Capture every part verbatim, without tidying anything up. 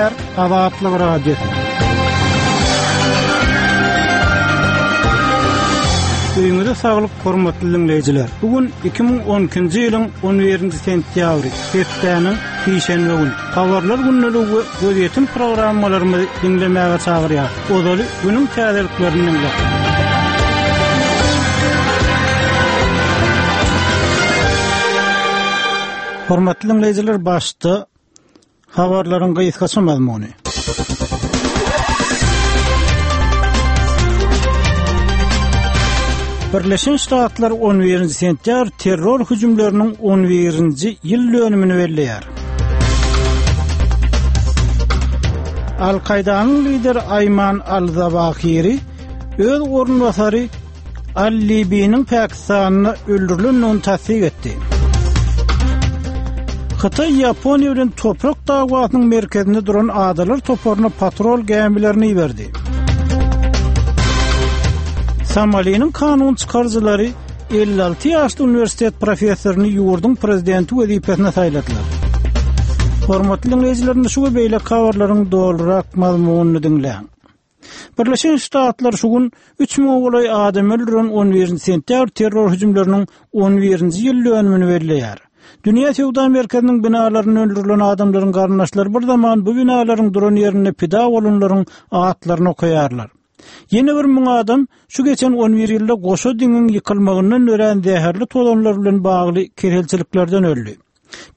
Gepleýär Azatlyk Radiosy. Öýüňize saglyk, hormatly diňleýjiler. Bu gün iki müň on ikinji ýylyň on birinji sentýabry, hepdäniň sişenbe güni. Habarlar gündeligi we gözýetim programmalarymyzy diňlemäge çagyrýar. Ozaly günüň täzeliklerini diňläň. Hormatly diňleýjiler, başda habarlaryň gysgaça mazmuny. Birleşen Ştatlar on birinji sentýabr terror hüjümleriniň on birinji ýyl dönümini belleýär. Al-Kaýdanyň lideri Aýman Al-Zawahiri öz orunbasary Al-Libiniň Pakistanda öldürilendigini tassyk etdi. Hytaý Ýaponiýa bilen toprak dawasynyň merkezinde duran adalar toparyna patrol gämilerini iberdi. Somaliniň kanun çykaryjylary elli alty ýaşly uniwersitet professoryny ýurduň prezidenti wezipesine saýladylar. Hormatly diňleýjilerimiz, şu we beýleki habarlaryň dolurak mazmunyny diňläň. Birleşen Ştatlar şu gün üç müňe golaý adam öldüren on birinji sentýabr terror hüjümleriniň on birinji ýyl dönümini belleýär. Dünýä Söwda Merkeziniň binalarynda öldürilen adamlaryň garyndaşlary bir zaman bu binalaryň duran ýerinde pida bolanlaryň atlaryny okaýarlar. Ýene bir müň adam şu geçen on bir ýylda goşa diňiň ýykylmagyndan dörän zäherli tozanlar bilen bagly keselçiliklerden öldi.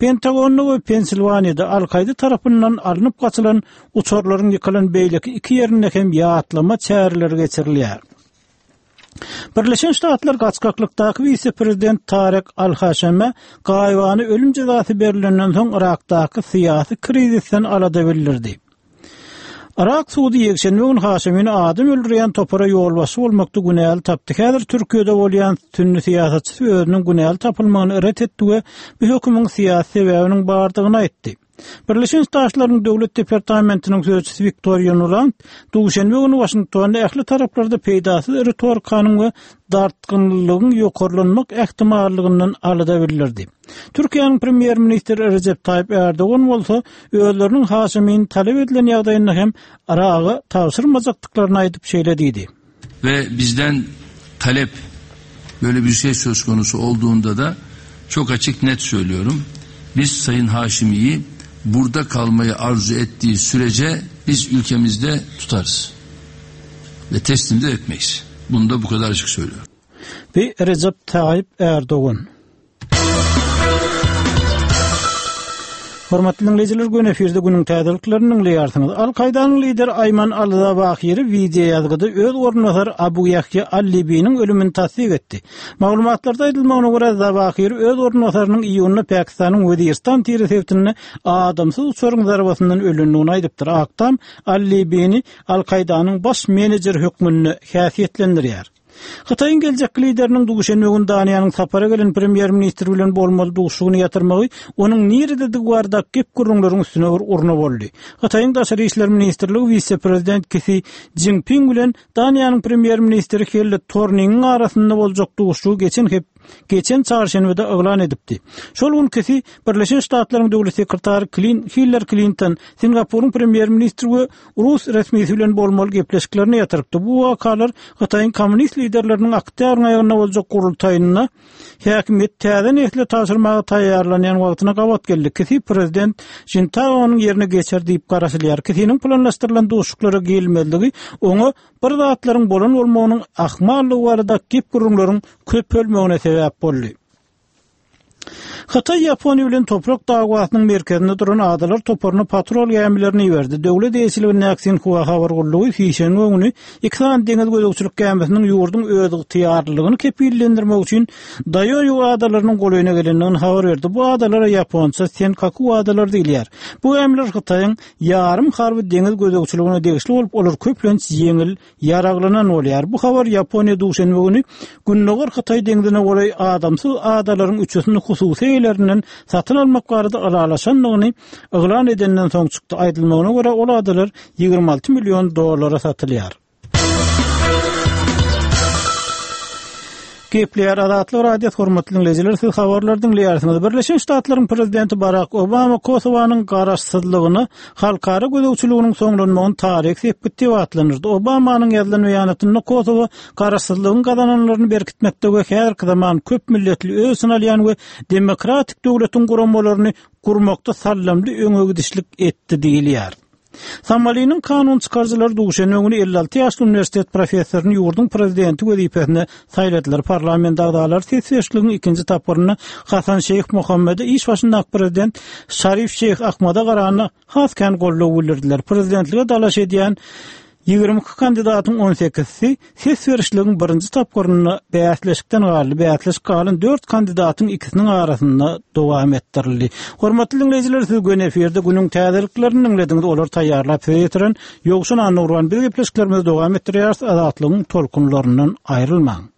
Pentagonda we Pensilwaniýada Al-Kaýda tarapyndan alnyp gaçylan uçarlaryň ýykylan beýleki iki ýerinde hem ýatlama çäreleri geçirilýär. Birleşen Ştatlar gaçgaklykdaky wise-prezident Tarek Al-Haşeme gaýybany ölüm jezasy berilenden soň Irakdaky syýasy krizisden alada bildirdi. Irak sudy ýekşenbe gün Haşemini adam öldürýän topara ýolbaşçy bolmakda günäli tapdy. Häzir Türkiýede bolýan sünni syýasatçysy özüniň günäli tapylmagyny ret etdi we bu hökümiň syýasy sebäbiniň bardygyny aýtdy. Birleşen Ştatlaryň Döwlet Departamentiniň sözçüsi Wiktoriýa Nuland duşenbe güni Waşingtonda ähli taraplarda peýdasyz ritorikanyň we dartgynlygyň ýokarlanmak ähtimallygyndan alada bildirdi. Türkiýäniň premýer-ministri Recep Tayyip Erdogan bolsa özleriniň Haşemini talap edilen ýagdaýynda hem Iraga tabşyrmajakdyklaryny aýdyp şeýle diýdi. Ve bizden talep böyle bir şey söz konusu olduğunda da çok açık net söylüyorum. Biz Sayın Haşimi'yi burada kalmayı arzu ettiği sürece biz ülkemizde tutarız ve teslim de etmeyiz. Bunu da bu kadar açık söylüyorum. Ve Recep Tayyip Erdoğan. Hormatly dinleýjiler, gün efirde günüň täzeliklerini dinleýärsiňiz. Al-Kaýdanyň lideri Aýman Al-Zawahiri video ýazgyda öz orunbasary Abu Ýahýa Al-Libiniň ölümini tassyk etdi. Maglumatlarda aýdylmagyna görä Zawahiri öz orunbasarynyň iýunda Pakistanyň Weziristan tiri sebitinde adamsyz uçaryň zarbasyndan ölendigini aýdypdyr. Aktam Al-Libini Al-Kaýdanyň baş menejeri hökmünde häsiýetlendirýär. Hytaýyň geljek lideriniň duşenbe güni Daniýanyň sapara gelen premýer-ministri bilen bolmaly duşugyny ýatyrmagy onuň nirededigi barada gep gürrüňleriň üstüne bir urna boldy. Hytaýyň Daşary işler ministrligi wise-prezident Xi Jinping bilen Daniýanyň premýer-ministri Helle Thorningiň arasynda boljak duşugy geçen hep geçen çarşenbede yglan edipdi. Şol gün Xi Birleşen Ştatlaryň döwlet sekretary Klin Hillary Clinton, Singapuryň premýer-ministri we Rus resmisi bilen bolmaly gepleşiklerini ýatyrypdy. Bu wakalar Hytaýyň komünist liderleriniň oktýabryň aýagynda boljak gurultaýynda häkimiýet täze nesle tabşyrmaga taýýarlanýan wagtyna gabat geldi. Xi prezident Jintaonyň ýerine geçer diýip garaşylýar. Xi'niň planlaşdyrylan duşuşyklara gelmezligi oňa bir zatlaryň bolan bolmagynyň ahmallygy barada gep gürrüňleriň köpelmegine sebäp boldy. Hytaý Ýaponiýa bilen toprak dawasynyň merkezinde duran adalar toparyna patrol gämilerini iberdi. Döwlet eýeçiligindäki Sinhua habar gullugy sişenbe güni iki sany deňiz gözegçilik gämisiniň ýurduň öz ygtyýarlylygyny kepillendirmek üçin Daýoýu adalarynyň golaýyna gelendigini habar berdi. Bu adalara ýaponça Senkaku adalary diýilýär. Bu gämiler Hytaýyň ýarym harby deňiz gözegçiligine degişli bolup, olar köplenç ýeňil ýaraglanan bolýar. Bu habar Ýaponiýa duşenbe güni Gündogar Hytaý deňzine golaý adamsyz adalaryň üçüsini hususy eýelerinden satyn almak barada ylalaşandygyny yglan edenden soň çykdy. Aýdylmagyna görä ol adalar ýigrimi alty million dollara satylýar. Gepleýär Azatlyk Radiosy hormatly diňleýjiler siz habarlary diňleýärsiňiz. Birleşen Ştatlaryň prezidenti Barak Obama Kosowanyň garaşsyzlygyna halkara gözegçiliginiň soňlanmagyny taryhy sepgit diýip atlandyrdy. Obamanyň ýazylan beýanatynda Kosowa garaşsyzlygyň gazananlaryny berkitmekde we häzirki zaman köp milletli öz içine alýan we demokratik döwletiň guramalaryny gurmakda sallamly öňe gidişlik etdi diýilýär. Somaliniň kanun çykaryjylary duşenbe güni elli alty ýaşly uniwersitet professoryny ýurduň prezidenti wezipesine saýladylar. Parlament agzalary ses berişligiň ikinji tapgyrynda Hasan Şeýh Mohammede iş başyndaky prezident Şarif Şeýh Ahmada garanda has kän goldaw bildirdiler. Prezidentlige dalaş edýän Ýigrimi iki kandidatyň on sekizisi ses berişligiň birinji tapgyrynda bäsleşikden galdy. Bäsleşik galan dört kandidatyň ikisiniň arasynda dowam etdirildi. Hormatly diňleýjiler, siz göni efirde günüň täzeliklerini diňlediňiz. Olary taýýarlap size ýetiren Ýowşan Annagurban. Biz gepleşiklerimizi dowam etdirýäris. Azatlygyň tolkunlaryndan aýrylmaň.